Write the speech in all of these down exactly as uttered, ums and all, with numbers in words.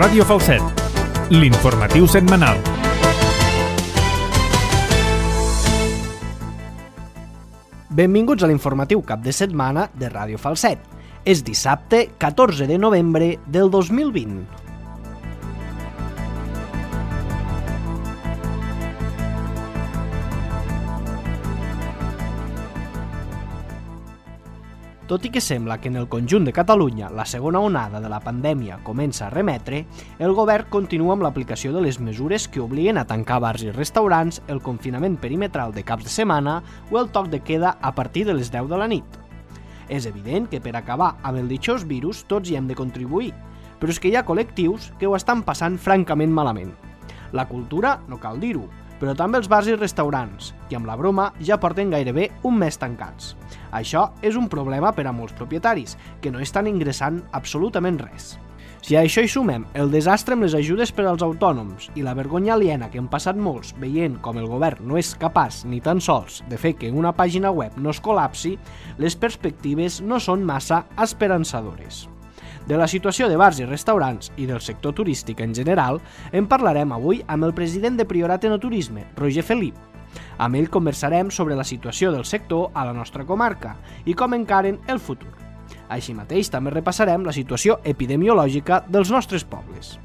Ràdio Falset, l'informatiu setmanal. Benvinguts a l'informatiu cap de setmana de Ràdio Falset. És dissabte, catorze de novembre del dos mil vint. Tot i que sembla que en el conjunt de Catalunya la segona onada de la pandèmia comença a remetre, el govern continua amb l'aplicació de les mesures que obliguen a tancar bars i restaurants, el confinament perimetral de caps de setmana o el toc de queda a partir de les deu de la nit. És evident que per acabar amb el ditxós virus tots hi hem de contribuir, però és que hi ha col·lectius que ho estan passant francament malament. La cultura, no cal dir-ho, però també els bars i restaurants, que amb la broma ja porten gairebé un mes tancats. Això és un problema per a molts propietaris, que no estan ingressant absolutament res. Si a això hi sumem el desastre amb les ajudes per als autònoms i la vergonya aliena que han passat molts veient com el govern no és capaç ni tan sols de fer que una pàgina web no es col·lapsi, les perspectives no són massa esperançadores. De la situació de bars i restaurants i del sector turístic en general en parlarem avui amb el president de Priorat Enoturisme, Roger Felip. Amb ell conversarem sobre la situació del sector a la nostra comarca i com encaren el futur. Així mateix també repassarem la situació epidemiològica dels nostres pobles.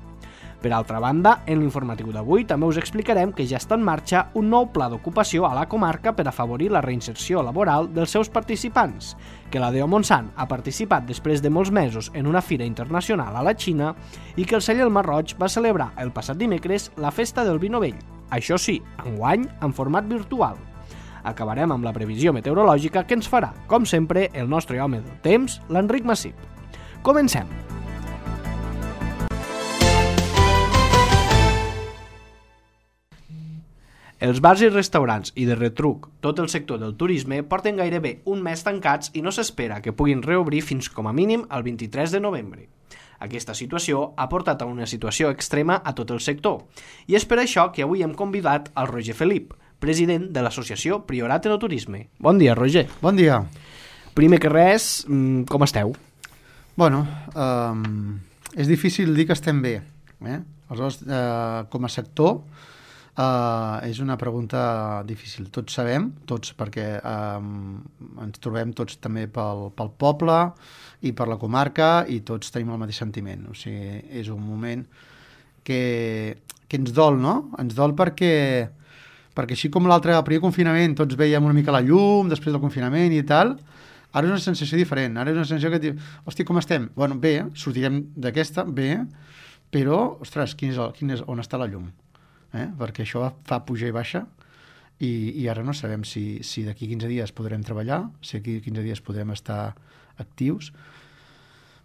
Per altra banda, en l'informatiu d'avui també us explicarem que ja està en marxa un nou pla d'ocupació a la comarca per afavorir la reinserció laboral dels seus participants, que la D O Montsant ha participat després de molts mesos en una fira internacional a la Xina i que el celler El Marroig va celebrar el passat dimecres la festa del vi novell, això sí, enguany en format virtual. Acabarem amb la previsió meteorològica que ens farà, com sempre, el nostre home del temps, l'Enric Massip. Comencem! Els bars i restaurants i de retruc tot el sector del turisme porten gairebé un mes tancats i no s'espera que puguin reobrir fins com a mínim el vint-i-tres de novembre. Aquesta situació ha portat a una situació extrema a tot el sector i és per això que avui hem convidat al Roger Felip, president de l'associació Priorat Enoturisme. Bon dia, Roger. Bon dia. Primer que res, com esteu? Bueno, um, és difícil dir que estem bé. Eh? Aleshores, uh, com a sector, Uh, és una pregunta difícil. Tots sabem, tots, perquè um, ens trobem tots també pel, pel poble i per la comarca i tots tenim el mateix sentiment. O sigui, és un moment que, que ens dol, no? Ens dol perquè, perquè així com l'altre, el primer confinament, tots veiem una mica la llum després del confinament i tal, ara és una sensació diferent. Ara és una sensació que diu, hòstia, com estem? Bueno, bé, sortirem d'aquesta, bé, però, ostres, quin és el, quin és, on està la llum? Eh? Perquè això fa pujar i baixa i, i ara no sabem si, si d'aquí quinze dies podrem treballar, si d'aquí quinze dies podrem estar actius.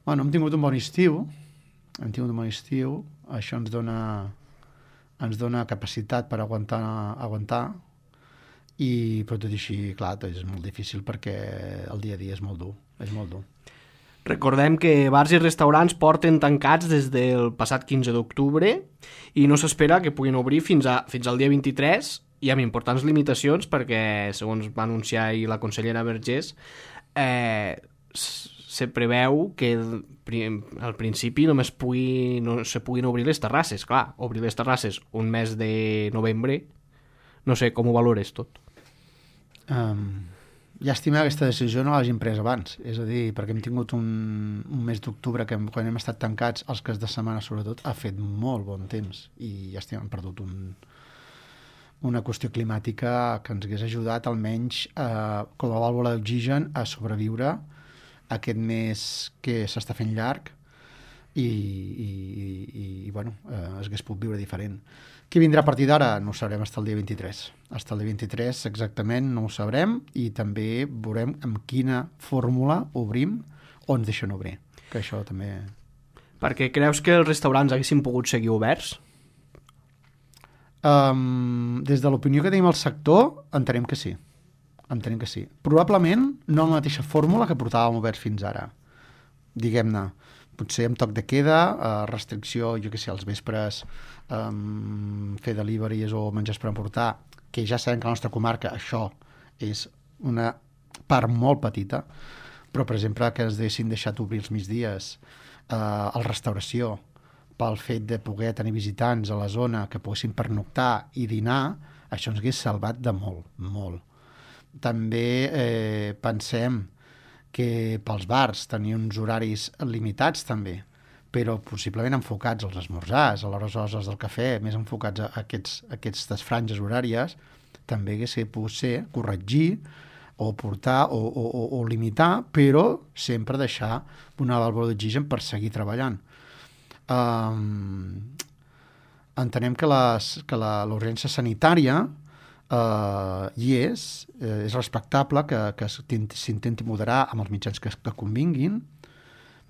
Bueno, hem tingut un bon estiu, hem tingut un bon estiu, això ens dona, ens dona capacitat per aguantar, aguantar i però tot i així, clar, és molt difícil perquè el dia a dia és molt dur, és molt dur. Recordem que bars i restaurants porten tancats des del passat quinze d'octubre i no s'espera que puguin obrir fins, a, fins al dia vint-i-tres i amb importants limitacions perquè, segons va anunciar ahir la consellera Vergés, eh, se preveu que al principi només pugui, no se puguin obrir les terrasses. Clar, obrir les terrasses un mes de novembre, no sé com ho valores tot. Um... Llàstima que aquesta decisió no l'hagin pres abans, és a dir, perquè hem tingut un, un mes d'octubre que quan hem estat tancats, els caps de setmana sobretot, ha fet molt bon temps i llàstima, hem perdut un, una qüestió climàtica que ens hagués ajudat almenys eh, com a vàlvula d'oxigen a sobreviure aquest mes que s'està fent llarg i, i, i, i bueno, eh, es hagués pogut viure diferent. Què vindrà a partir d'ara? No ho sabrem fins al dia vint-i-tres. Fins al dia vint-i-tres exactament no ho sabrem i també veurem amb quina fórmula obrim o ens deixen obrir. Que això també... Perquè creus que els restaurants haguessin pogut seguir oberts? Um, des de l'opinió que tenim al sector, entenem que sí. Entenem que sí. Probablement no la mateixa fórmula que portàvem oberts fins ara. Diguem-ne, potser amb toc de queda, eh, restricció, jo què sé, als vespres, eh, fer deliveries o menjars per emportar, que ja sabem que a la nostra comarca això és una part molt petita, però, per exemple, que es deixin deixat obrir els migdies, eh, a la restauració, pel fet de poder tenir visitants a la zona que poguessin pernoctar i dinar, això ens hagués salvat de molt, molt. També eh, pensem que pels bars tenir uns horaris limitats també, però possiblement enfocats als esmorzars, a les hores del cafè, més enfocats a, aquests, a aquestes franges horàries, també hagués pogut ser corregir o portar o, o, o, o limitar, però sempre deixar una vàlvula d'oxigen per seguir treballant. Um, entenem que, les, que la, l'urgència sanitària uh, hi és, eh, és respectable que, que s'intenti moderar amb els mitjans que, que convinguin,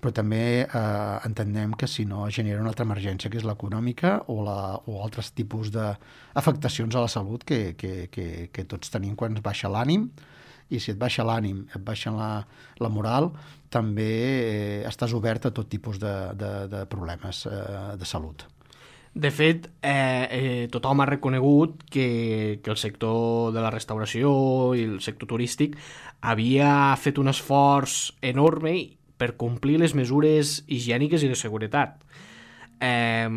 però també eh, entenem que si no genera una altra emergència, que és l'econòmica o, la, o altres tipus d'afectacions a la salut que, que, que, que tots tenim quan ens baixa l'ànim, i si et baixa l'ànim, et baixa la, la moral, també eh, estàs obert a tot tipus de, de, de problemes eh, de salut. De fet, eh, eh, tothom ha reconegut que, que el sector de la restauració i el sector turístic havia fet un esforç enorme per complir les mesures higièniques i de seguretat. Eh,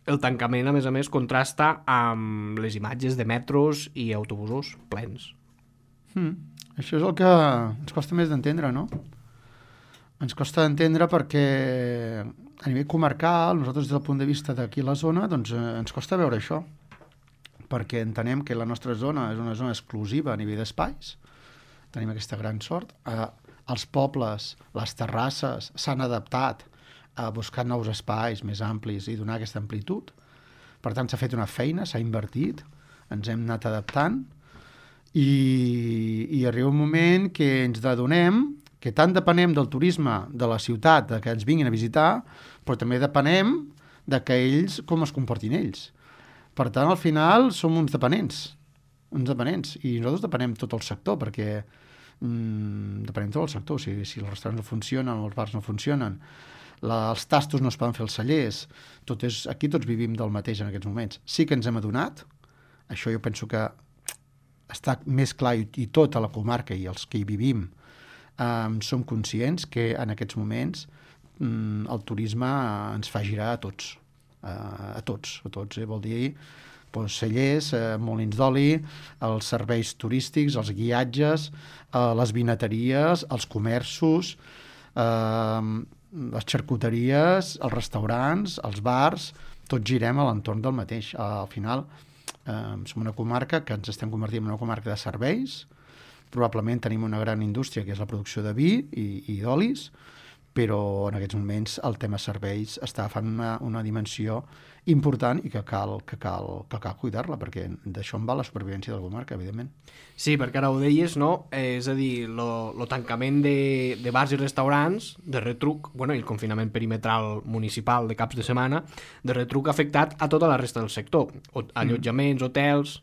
el tancament, a més a més, contrasta amb les imatges de metros i autobusos plens. Hmm. Això és el que ens costa més d'entendre, no? Ens costa d'entendre perquè a nivell comarcal, nosaltres des del punt de vista d'aquí a la zona, doncs eh, ens costa veure això, perquè entenem que la nostra zona és una zona exclusiva a nivell d'espais, tenim aquesta gran sort, eh, els pobles, les terrasses s'han adaptat a buscar nous espais més amplis i donar aquesta amplitud, per tant s'ha fet una feina, s'ha invertit, ens hem anat adaptant, i, i arriba un moment que ens adonem que tant depenem del turisme de la ciutat, de que ens vinguin a visitar, però també depenem de que ells, com es comportin ells. Per tant, al final, som uns dependents, uns dependents, i nosaltres depenem tot el sector, perquè mm, depenem tot el sector, o sigui, si els restaurants no funcionen, els bars no funcionen, la, els tastos no es poden fer els cellers, tot és, aquí tots vivim del mateix en aquests moments. Sí que ens hem adonat, això jo penso que està més clar i, i tota la comarca i els que hi vivim um, som conscients que en aquests moments um, el turisme uh, ens fa girar a tots, uh, a tots, a tots, eh? Vol dir doncs, cellers, uh, molins d'oli, els serveis turístics, els guiatges, uh, les vinateries, els comerços, uh, les xarcuteries, els restaurants, els bars, tots girem a l'entorn del mateix. Uh, al final, Uh, som una comarca que ens estem convertint en una comarca de serveis, probablement tenim una gran indústria que és la producció de vi i, i d'olis, però en aquests moments el tema serveis està agafant una, una dimensió important i que cal, que cal, que cal cuidar-la, perquè d'això en va la supervivència de la comarca, evidentment. Sí, perquè ara ho deies, no? Eh, és a dir, el tancament de, de bars i restaurants, de retruc, bueno, i el confinament perimetral municipal de caps de setmana, de retruc ha afectat a tota la resta del sector. O, allotjaments, mm. hotels,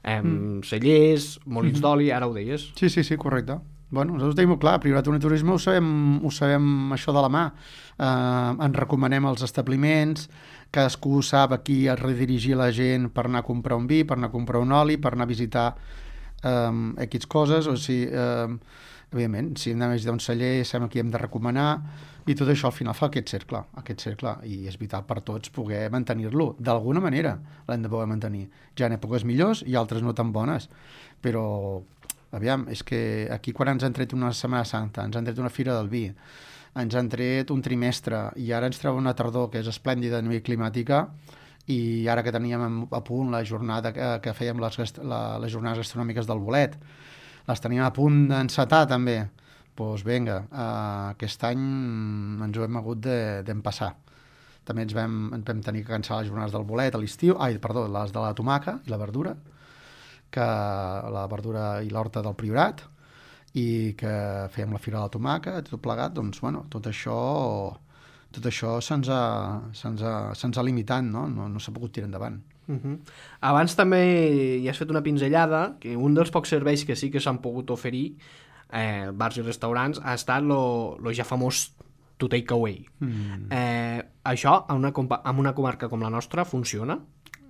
eh, mm. cellers, molins mm-hmm. d'oli, ara ho deies. Sí, sí, sí, correcte. Bueno, nosaltres ho tenim molt clar, Privat i Turisme ho sabem, ho sabem això de la mà. Eh, ens recomanem els establiments, cadascú sap a qui redirigir la gent per anar a comprar un vi, per anar a comprar un oli, per anar a visitar eh, X coses, o sigui, eh, evidentment, si hem d'anar a visitar un celler, sabem a qui hem de recomanar, i tot això al final fa aquest cercle, aquest cercle, i és vital per tots poder mantenir-lo. D'alguna manera l'hem de poder mantenir. Ja en èpoques millors i altres no tan bones, però aviam, és que aquí quan ens han tret una Setmana Santa, ens han tret una Fira del Vi, ens han tret un trimestre i ara ens treu una tardor que és esplèndida a nivell climàtica, i ara que teníem a punt la jornada que, que fèiem les, la, les jornades gastronòmiques del bolet, les teníem a punt d'encetar també, doncs vinga, uh, aquest any ens ho hem hagut d'empassar. També ens vam, ens vam tenir que cancel·lar les jornades del bolet a l'estiu, ai, perdó, les de la tomaca i la verdura, que la verdura i l'horta del Priorat, i que fèiem la Fira de la Tomaca, tot plegat, doncs, bueno, tot això, tot això se'ns ha, se'ns ha, se'ns ha limitat, no? No, no s'ha pogut tirar endavant. Uh-huh. Abans també hi has fet una pinzellada, que un dels pocs serveis que sí que s'han pogut oferir, eh, bars i restaurants, ha estat lo, lo ja famós to take away. Mm. Eh, això, en una, en una comarca com la nostra, funciona?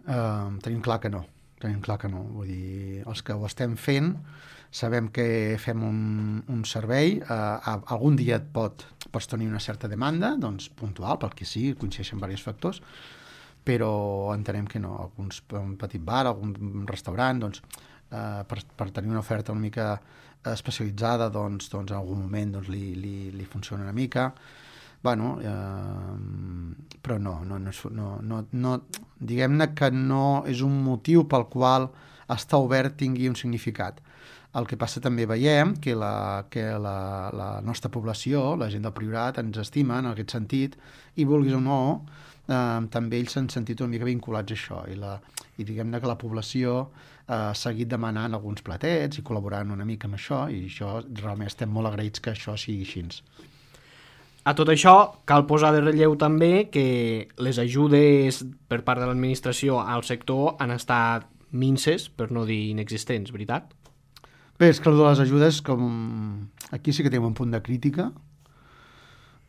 Uh, tenim clar que no. Tenim clar que no. Vull dir, els que ho estem fent sabem que fem un, un servei, uh, algun dia et pot, pots tenir una certa demanda, doncs puntual, pel que sí, coincideixen diversos factors, però entenem que no. Alguns, un petit bar, algun restaurant, doncs, eh, per, per tenir una oferta una mica especialitzada, doncs, doncs en algun moment doncs, li, li, li funciona una mica. Bueno, eh, però no, no, no, no, no, no diguem-ne que no és un motiu pel qual estar obert tingui un significat. El que passa també veiem que la, que la, la nostra població, la gent del Priorat, ens estima en aquest sentit, i vulguis o no, eh, també ells s'han sentit una mica vinculats a això, i, la, i diguem-ne que la població eh, ha seguit demanant alguns platets i col·laborant una mica amb això, i això realment estem molt agraïts que això sigui així. A tot això, cal posar de relleu també que les ajudes per part de l'administració al sector han estat minces, per no dir inexistents, veritat? Bé, és que el de les ajudes, com... aquí sí que tenim un punt de crítica,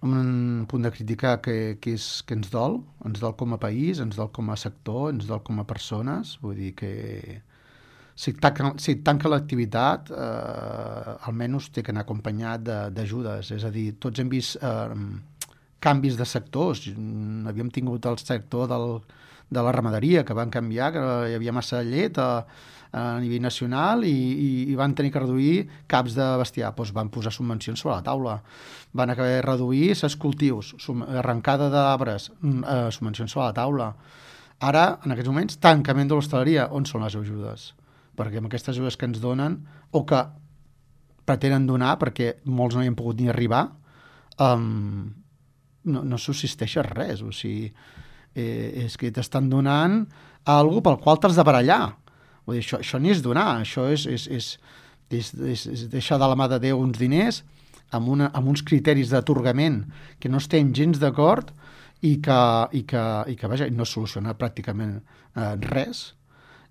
un punt de crítica que, que, és, que ens dol, ens dol com a país, ens dol com a sector, ens dol com a persones, vull dir que si tanca, si tanca l'activitat, eh, almenys té que anar acompanyat d'ajudes, és a dir, tots hem vist eh, canvis de sectors, havíem tingut el sector del, de la ramaderia, que van canviar, que hi havia massa llet a, a nivell nacional i, i, i van tenir que reduir caps de bestiar, doncs van posar subvencions sobre la taula, van haver de reduir ses cultius, arrencada d'arbres, eh, subvencions sobre la taula. Ara, en aquests moments, tancament de l'hostaleria, on són les ajudes? Perquè amb aquestes ajudes que ens donen, o que pretenen donar, perquè molts no hi han pogut ni arribar, um, no, no subsisteix res. O sigui, eh, és que t'estan donant alguna pel qual t'has de barallar. Vull dir, això, això ni és donar, això és, és, és, és, és, és deixar de la mà de Déu uns diners amb, una, amb uns criteris d'atorgament que no estem gens d'acord i que, i que, i que vaja, no soluciona pràcticament eh, res.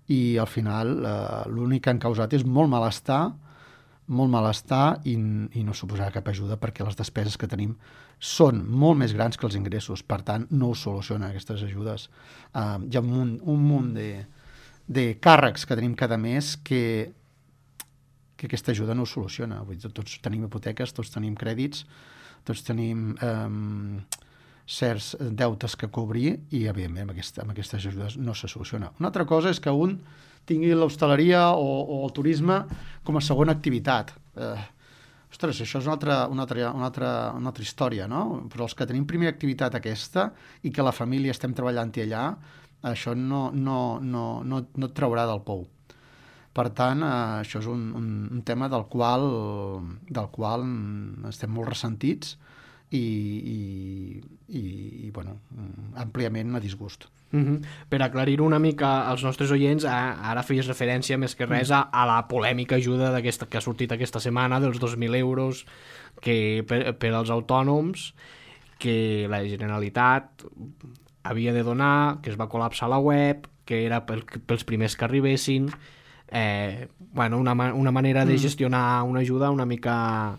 I al final eh, l'únic que han causat és molt malestar, molt malestar i, i no suposarà cap ajuda perquè les despeses que tenim són molt més grans que els ingressos, per tant no ho soluciona aquestes ajudes. Eh, hi ha un munt, un munt de, de càrrecs que tenim cada mes que, que aquesta ajuda no ho soluciona. Vull dir, tots tenim hipoteques, tots tenim crèdits, tots tenim eh, certs deutes que cobrir i, evidentment, amb, aquesta, amb aquestes ajudes no se soluciona. Una altra cosa és que un tingui l'hostaleria o, o el turisme com a segona activitat. Eh, ostres, això és una altra, una, altra, una, altra, una altra història, no? Però els que tenim primera activitat aquesta i que la família estem treballant-hi allà, això no, no, no, no, no et traurà del pou. Per tant, eh, això és un, un, un tema del qual, del qual estem molt ressentits i, i, i, i bueno, àmpliament a disgust. Uh-huh. Per aclarir una mica als nostres oients, ara feies referència més que res a, a la polèmica ajuda d'aquesta que ha sortit aquesta setmana dels dos mil euros que per, per als autònoms que la Generalitat havia de donar, que es va col·lapsar la web, que era pel, pels primers que arribessin, eh, bueno, una, una manera de gestionar una ajuda una mica...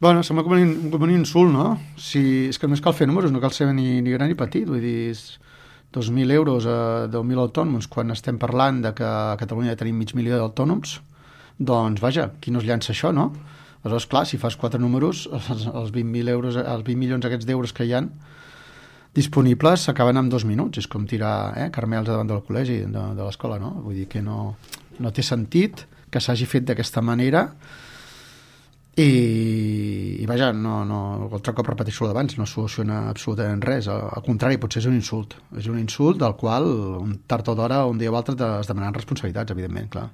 Bueno, sembla com un, com un insult, no? Si, és que només cal fer números, no cal ser ni, ni gran ni petit, vull dir, dos mil euros a deu mil autònoms, quan estem parlant de que a Catalunya tenim mig milió d'autònoms, doncs, vaja, qui no es llança això, no? Aleshores, clar, si fas quatre números, els, els vint mil euros, els vint milions aquests d'euros que hi ha disponibles s'acaben en dos minuts. És com tirar eh, carmels davant del col·legi, de, de l'escola, no? Vull dir que no, no té sentit que s'hagi fet d'aquesta manera. I, i vaja, no, no, altre cop repeteixo el d'abans, no soluciona absolutament res, al, al contrari, potser és un insult, és un insult del qual un tard o d'hora, un dia o altre es demanen responsabilitats, evidentment, clar.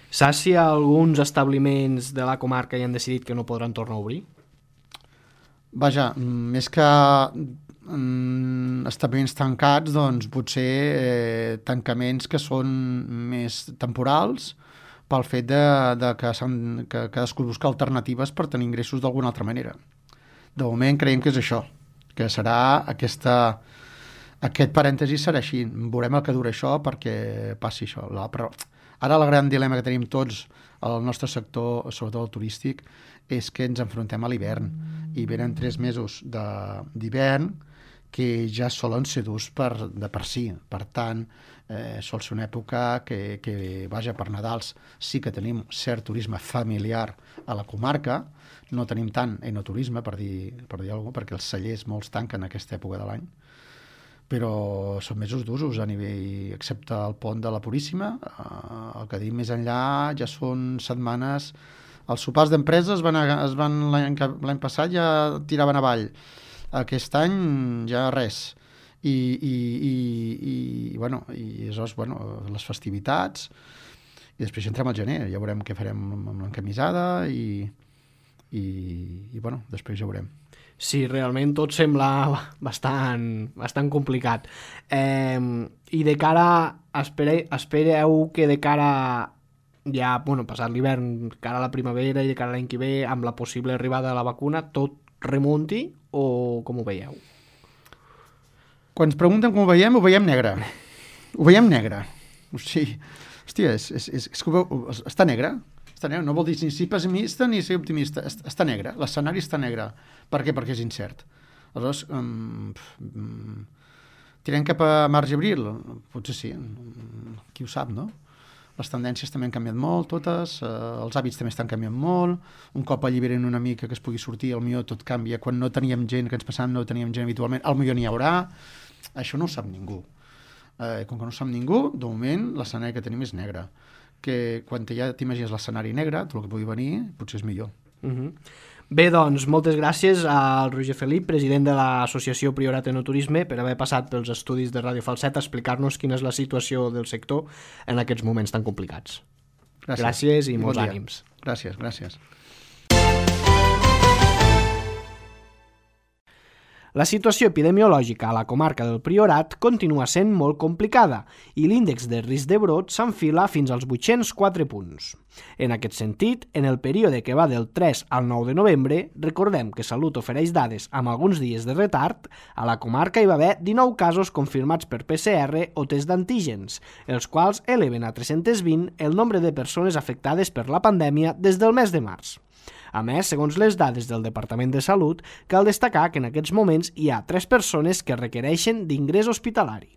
Saps si alguns establiments de la comarca hi han decidit que no podran tornar a obrir? Vaja, més que mm, establiments tancats, doncs potser eh, tancaments que són més temporals, pel fet de, de que, que cadascú busca alternatives per tenir ingressos d'alguna altra manera. De moment creiem que és això, que serà aquesta, aquest parèntesi serà així. Veurem el que dura això perquè passi això. La, però ara el gran dilema que tenim tots al nostre sector, sobretot el turístic, és que ens enfrontem a l'hivern i venen tres mesos d'hivern que ja solen ser durs per, de per si. Per tant, eh, sol ser una època que, que, vaja, per Nadals sí que tenim cert turisme familiar a la comarca, no tenim tant enoturisme, per dir, per dir alguna cosa, perquè els cellers molts tanquen aquesta època de l'any, però són mesos d'usos a nivell, excepte el pont de la Puríssima, eh, el que dic més enllà ja són setmanes. Els sopars d'empreses es van, es van l'any passat ja tiraven avall. Aquest any ja res. I, i, i, i, bueno, i aleshores, bueno, les festivitats, i després entrem al gener, ja veurem què farem amb l'encamisada i, i, i bueno, després ja veurem. Sí, realment tot sembla bastant, bastant complicat. Eh, I de cara, espere, espereu que de cara ja, bueno, passat l'hivern, cara a la primavera i de cara a l'any que ve, amb la possible arribada de la vacuna, tot remunti o com ho veieu? Quan ens pregunten com ho veiem, ho veiem negre. Ho veiem negre. O sigui, hòstia, és, és, és, és que veu, està negre. Està negre. No vol dir ni ser pessimista ni ser optimista. Està negre. L'escenari està negre. Per què? Perquè és incert. Aleshores, um, um, tirem cap a març i abril? Potser sí. Qui ho sap, no? Les tendències també han canviat molt, totes, eh, els hàbits també estan canviant molt, un cop alliberen una mica que es pugui sortir, el millor tot canvia, quan no teníem gent, que ens passàvem, no teníem gent habitualment, el millor n'hi haurà, això no ho sap ningú. Eh, com que no ho sap ningú, de moment l'escenari que tenim és negre, que quan ja t'imagines l'escenari negre, tot el que pugui venir, potser és millor. Uh-huh. Bé, doncs, moltes gràcies al Roger Felip, president de l'Associació Priorat Enoturisme, per haver passat pels estudis de Ràdio Falset a explicar-nos quina és la situació del sector en aquests moments tan complicats. Gràcies, gràcies i, I molts bon ànims. Gràcies, gràcies. La situació epidemiològica a la comarca del Priorat continua sent molt complicada i l'índex de risc de brot s'enfila fins als vuit-cents quatre punts. En aquest sentit, en el període que va del tres al nou de novembre, recordem que Salut ofereix dades amb alguns dies de retard, a la comarca hi va haver dinou casos confirmats per P C R o test d'antígens, els quals eleven a tres-cents vint el nombre de persones afectades per la pandèmia des del mes de març. A més, segons les dades del Departament de Salut, cal destacar que en aquests moments hi ha tres persones que requereixen d'ingrés hospitalari.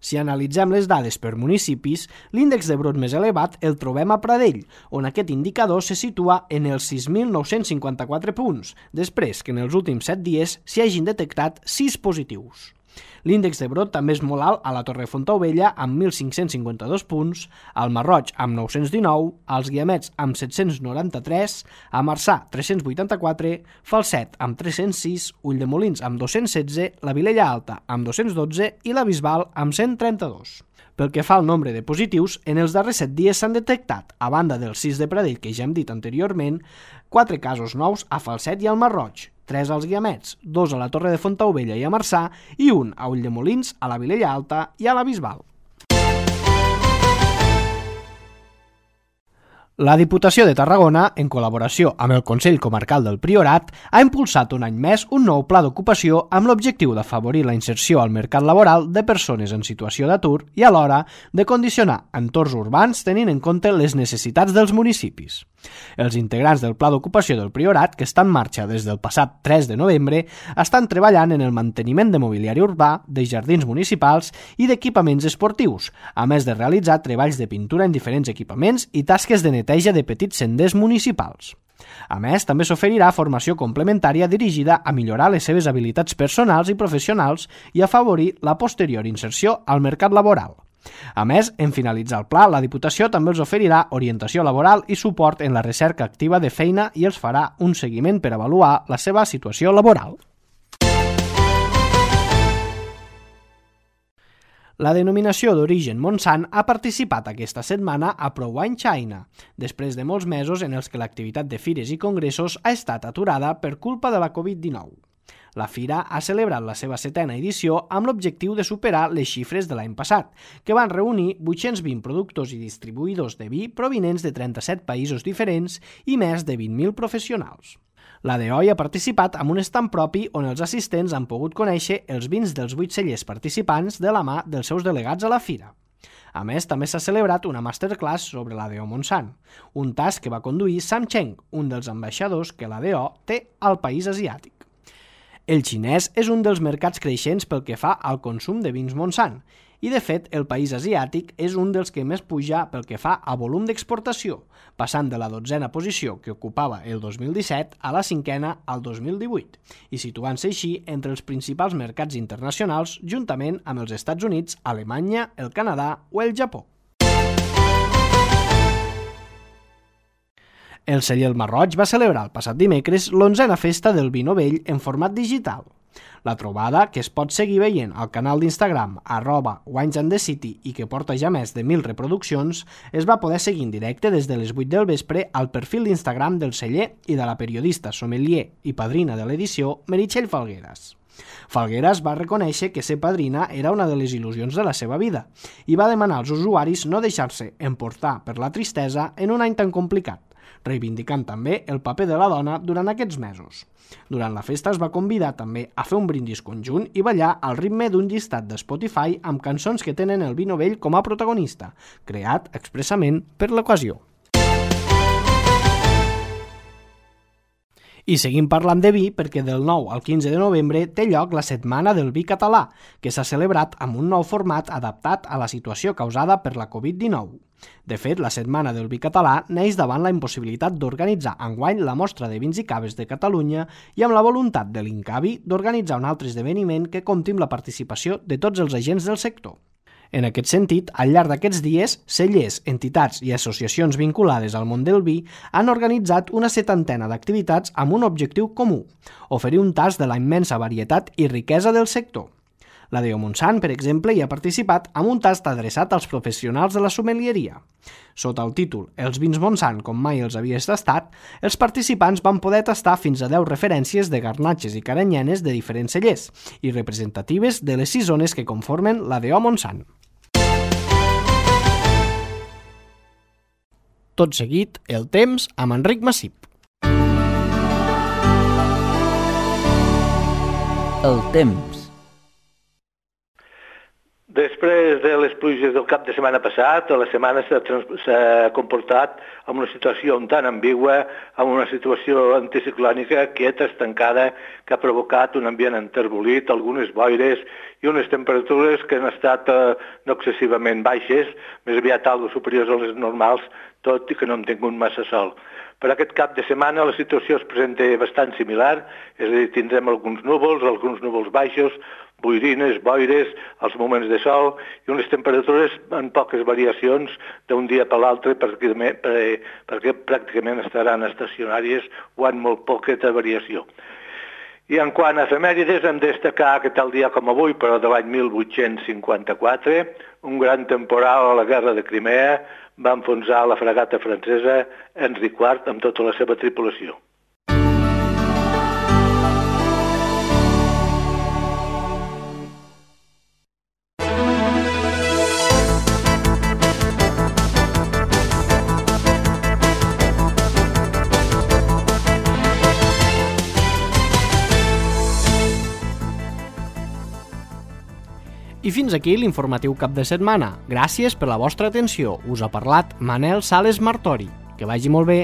Si analitzem les dades per municipis, l'índex de brot més elevat el trobem a Pradell, on aquest indicador se situa en els sis mil nou-cents cinquanta-quatre punts, després que en els últims set dies s'hi hagin detectat sis positius. L'índex de brot també és molt alt a la Torre Fontaubella amb mil cinc-cents cinquanta-dos punts, al Marroig amb nou-cents dinou, als Guiamets amb set-cents noranta-tres, a Marçà tres-cents vuitanta-quatre, Falset amb tres-cents sis, Ulldemolins amb dos-cents setze, la Vilella Alta amb dos-cents dotze i la Bisbal amb cent trenta-dos. Pel que fa al nombre de positius, en els darrers set dies s'han detectat, a banda dels sis de Pradell que ja hem dit anteriorment, quatre casos nous a Falset i al Marroig, tres als Guiamets, dos a la Torre de Fontaubella i a Marçà i un a Ulldemolins, a la Vilella Alta i a la Bisbal. La Diputació de Tarragona, en col·laboració amb el Consell Comarcal del Priorat, ha impulsat un any més un nou pla d'ocupació amb l'objectiu d'afavorir la inserció al mercat laboral de persones en situació d'atur i alhora de condicionar entorns urbans tenint en compte les necessitats dels municipis. Els integrants del Pla d'Ocupació del Priorat, que està en marxa des del passat tres de novembre, estan treballant en el manteniment de mobiliari urbà, de jardins municipals i d'equipaments esportius, a més de realitzar treballs de pintura en diferents equipaments i tasques de neteja de petits senders municipals. A més, també s'oferirà formació complementària dirigida a millorar les seves habilitats personals i professionals i afavorir la posterior inserció al mercat laboral. A més, en finalitzar el pla, la Diputació també els oferirà orientació laboral i suport en la recerca activa de feina i els farà un seguiment per avaluar la seva situació laboral. La denominació d'origen Montsant ha participat aquesta setmana a ProWine China, després de molts mesos en els que l'activitat de fires i congressos ha estat aturada per culpa de la covid dinou. La fira ha celebrat la seva setena edició amb l'objectiu de superar les xifres de l'any passat, que van reunir vuit-cents vint productors i distribuïdors de vi provinents de trenta-set països diferents i més de vint mil professionals. La D O I ha participat amb un estand propi on els assistents han pogut conèixer els vins dels vuit cellers participants de la mà dels seus delegats a la fira. A més, també s'ha celebrat una masterclass sobre la D O Montsant, un tast que va conduir Sam Cheng, un dels ambaixadors que la D O té al país asiàtic. El xinès és un dels mercats creixents pel que fa al consum de vins Montsant i, de fet, el país asiàtic és un dels que més puja pel que fa a volum d'exportació, passant de la dotzena posició que ocupava el dos mil disset a la cinquena al dos mil divuit i situant-se així entre els principals mercats internacionals juntament amb els Estats Units, Alemanya, el Canadà o el Japó. El celler El Marroig va celebrar el passat dimecres l'onzena festa del vi novell en format digital. La trobada, que es pot seguir veient al canal d'Instagram arroba Wines and the City i que porta ja més de mil reproduccions, es va poder seguir en directe des de les vuit del vespre al perfil d'Instagram del celler i de la periodista, sommelier i padrina de l'edició, Meritxell Falgueras. Falgueras va reconèixer que ser padrina era una de les il·lusions de la seva vida i va demanar als usuaris no deixar-se emportar per la tristesa en un any tan complicat, reivindicant també el paper de la dona durant aquests mesos. Durant la festa es va convidar també a fer un brindis conjunt i ballar al ritme d'un llistat de Spotify amb cançons que tenen el vi novell com a protagonista, creat expressament per l'ocasió. I seguim parlant de vi perquè del nou al quinze de novembre té lloc la Setmana del Vi Català, que s'ha celebrat amb un nou format adaptat a la situació causada per la covid dinou. De fet, la Setmana del Vi Català neix davant la impossibilitat d'organitzar enguany la Mostra de Vins i Caves de Catalunya i amb la voluntat de l'Incavi d'organitzar un altre esdeveniment que compti amb la participació de tots els agents del sector. En aquest sentit, al llarg d'aquests dies, cellers, entitats i associacions vinculades al món del vi han organitzat una setantena d'activitats amb un objectiu comú: oferir un tast de la immensa varietat i riquesa del sector. La D O Montsant, per exemple, hi ha participat amb un tast adreçat als professionals de la sommelieria. Sota el títol Els vins Montsant com mai els havies tastat, els participants van poder tastar fins a deu referències de garnatxes i caranyenes de diferents cellers i representatives de les sis zones que conformen la D O Montsant. Tot seguit, el temps amb Enric Massip. El temps. Després de les pluges del cap de setmana passat, la setmana s'ha comportat amb una situació un tant ambigua, amb una situació anticiclònica quieta, estancada, que ha provocat un ambient enterbolit, algunes boires i unes temperatures que han estat eh, no excessivament baixes, més aviat algo superiors a les normals, tot i que no hem tingut massa sol. Per aquest cap de setmana la situació es presenta bastant similar, és a dir, tindrem alguns núvols, alguns núvols baixos, boirines, boires, els moments de sol i unes temperatures amb poques variacions d'un dia per l'altre perquè, perquè pràcticament estaran estacionàries o amb molt poqueta variació. I en quant a efemèrides, hem de destacar que tal dia com avui, però de l'any mil vuit-cents cinquanta-quatre, un gran temporal a la guerra de Crimea va enfonsar la fragata francesa Henri quart amb tota la seva tripulació. I fins aquí l'informatiu cap de setmana. Gràcies per la vostra atenció. Us ha parlat Manel Sales Martori. Que vagi molt bé.